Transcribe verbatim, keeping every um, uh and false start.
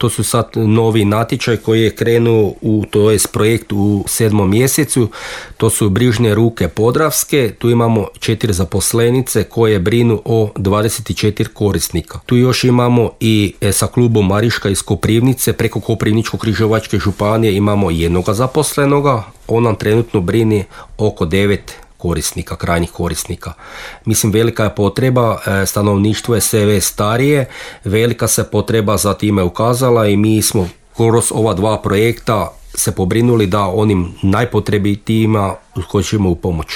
to su sad novi natječaj koji je krenuo u, to je projekt u sedmom mjesecu, to su Brižne ruke Podravske, tu imamo četiri zaposlenice koje brinu o dvadeset četiri korisnika. Tu još imamo i e, sa klubom Mariška iz Koprivnice, preko Koprivničko-križevačke županije imamo jednoga zaposlenoga, on nam trenutno brini oko devet korisnika, krajnjih korisnika. Mislim, velika je potreba, stanovništvo je sve starije, velika se potreba za time ukazala i mi smo kroz ova dva projekta se pobrinuli da onim najpotrebitijima hoćemo u pomoć.